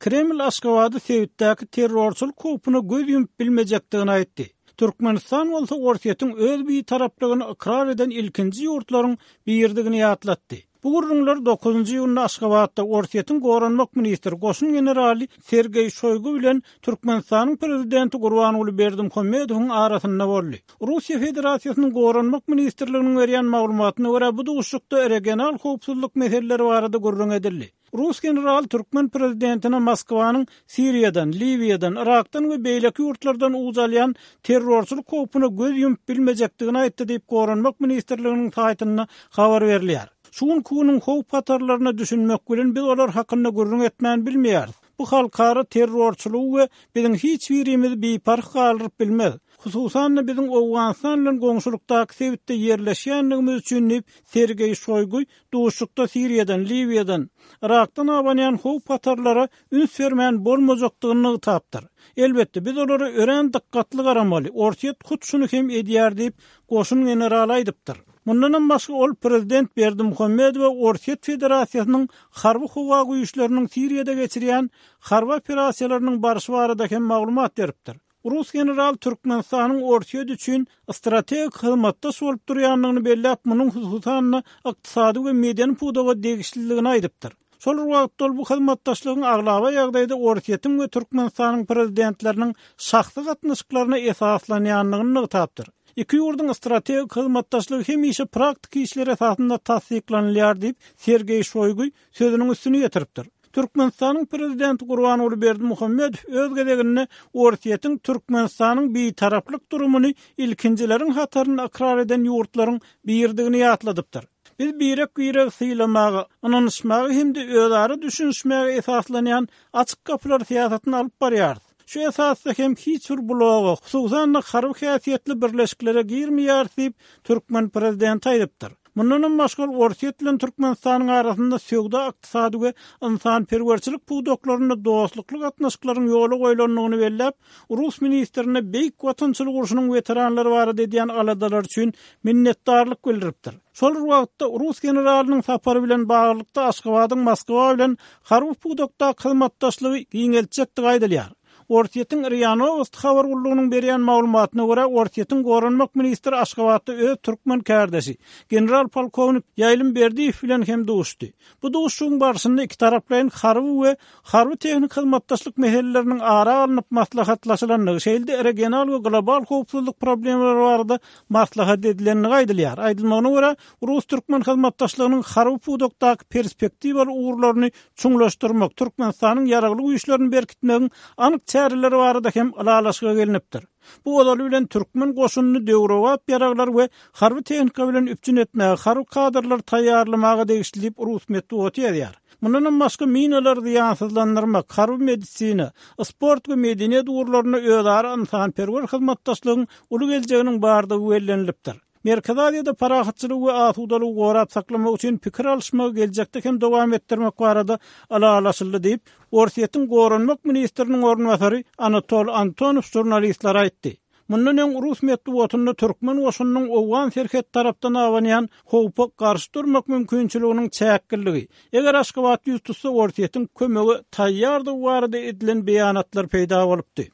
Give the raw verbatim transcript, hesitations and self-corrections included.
Kreml Aşgabady sebitdäki terrorçylyk howpuna göz ýumup bilmejekdigini aýtdy. Türkmenistan bolsa Orsýetiň öz bitaraplygyny ykrar eden ilkinji ýurtlaryň biridigini ýatlatdy. Bu gürrüňler dokuzynjy iýunda Aşgabatda Orsýetiň goranmak ministri goşun generaly Sergeý Şoýgu bilen Türkmenistanyň prezidenti Gurbanguly Berdimuhamedowyň arasynda boldy. Russiýa Federasiýasynyň Goranmak ministrliginiň berýän maglumatyna görä, bu duşuşykda regional howpsuzlyk meseleleri barada gürrüň edildi. Rus general türkmen prezidentine Moskwanyň Siriýadan, Liwiýadan, Yrakdan we beýleki ýurtlardan uç alýan terrorçylyk howpuna göz ýumup bilmejekdigini aýtdy diýip, Goranmak ministrliginiň saýtynda habar berilýär. Şu günki günüň howp hatarlaryna düşünmek bilen biz olar hakynda gürrüň etmän bilmeýäris. Bu halkara terrorçylygy we biziň hiç birimizi biparh galdyryp bilmez. Hususan-da biziň Owganystan bilen goňşulykdaky sebitde ýerleşýändigimiz üçin diýip, Sergeý Şoýgu duşuşykda Siriýadan, Liwiýadan, Yrakdan abanýan howp hatarlara üns bermän bolmajakdygyny nygtapdyr. Elbetde, biz olara örän dykgatly garamaly, Orsýet hut şuny hem edýär diýip, goşun generaly aýdypdyr. Mundanam başga ol prezident Berdimuhamedowa Orsýet Federasiýasynyň harby howa güýçleriniň Siriýada geçirýän harby operasiýalarynyň barşy barada hem maglumat beripdir. Rus general Türkmenistanyň Orsýet üçin strategik hyzmatdaş bolup durýandygyny belläp, munuň hususan-da ykdysady we medeni pudaga degişliligini aýdypdyr. Şol bir wagtda ol bu hyzmatdaşlygyň aglaba ýagdaýda Orsýetiň we Türkmenistanyň prezidentleriniň şahsy gatnaşyklaryna esaslanýandygyny nygtapdyr. Iki ýurduň strategik hyzmatdaşlygy hemişe praktiki işler esasynda tassyklanylýar diýip, Sergeý Şoýgu sözüniň üstüni ýetiripdir. Türkmenistanyň prezidenti Gurbanguly Berdimuhamedow öz gezeginde Orsýetiň Türkmenistanyň bitaraplyk durumyny ilkinjileriň hatarynda ykrar eden ýurtlaryň biridigini ýatladypdyr. Biz birek-biregi sylamaga, ynanyşmaga hem-de özara düşünişmäge esaslanýan açyk gapylar syýasatyny alyp barýarys. Şu esasda hem hiç bir bloga, hususan-da harby häsiýetli birleşiklere girmeýäris diýip, türkmen prezidenti aýdypdyr. Mundanam başga ol Orsýet bilen Türkmenistanyň arasynda söwda-ykdysady we ynsanperwerçilik pudaklarynda dostlukly gatnaşyklaryň ýola goýlandygyny belläp, rus ministrine Beýik Watançylyk urşunyň weteranlary barada edýän aladalary üçin minnetdarlyk bildiripdir. Şol bir wagtda, rus generalynyň sapary bilen baglylykda Aşgabadyň Moskwa bilen harby pudakdaky hyzmatdaşlygy giňeltjekdigi aýdylýar. Orsýetiň RIA Nowosti habar gullugynyň berýän maglumatyna görä, Orsýetiň goranmak ministri Aşgabatda öz türkmen kärdeşi, general-polkownik Ýaýlym Berdiýew bilen hem duşdy. Bu duşuşygyň barşynda ikitaraplaýyn harby we harby-tehniki hyzmatdaşlyk meseleleriniň ara alnyp maslahatlaşylandygy, şeýle-de regional we global howpsuzlyk problemalary barada maslahat edilendigi aýdylýar. Aýdylmagyna görä, rus-türkmen hyzmatdaşlygynyň harby pudakdaky perspektiwaly ugurlaryny çuňlaşdyrmak, Türkmenistanyň ýaragly güýçlerini berkitmegiň anyk çäreleri barada hem ylalaşyga gelnipdir. Bu ozaly bilen türkmen goşunyny döwrebap ýaraglar we harby tehnika bilen üpjün etmäge, harby kadrlary taýýarlamaga degişli diýip, rus metbugaty ýazýar. Mundanam başga minalary zyýansyzlandyrmak, harby medisina, sport we medeniýet ugurlarynda özara ynsanperwer hyzmatdaşlygyň uly geljeginiň bardygy bellenilipdir. Merkezi Aziýada parahatçylygy we asudalygy gorap saklamak üçin pikir alyşmagy geljekde hem dowam etdirmek barada ylalaşyldy diýip, Orsýetiň goranmak ministriniň orunbasary Anatol Antonow žurnalistlere aýtdy. Mundan öň rus metbugatynda türkmen goşunynyň owgan serhet tarapdan abanýan howpa garşy durmak mümkinçiliginiň çäkliligi, eger Aşgabat ýüz tutsa Orsýetiň kömege taýýardygy barada edilen beýanatlar peýda bolupdy.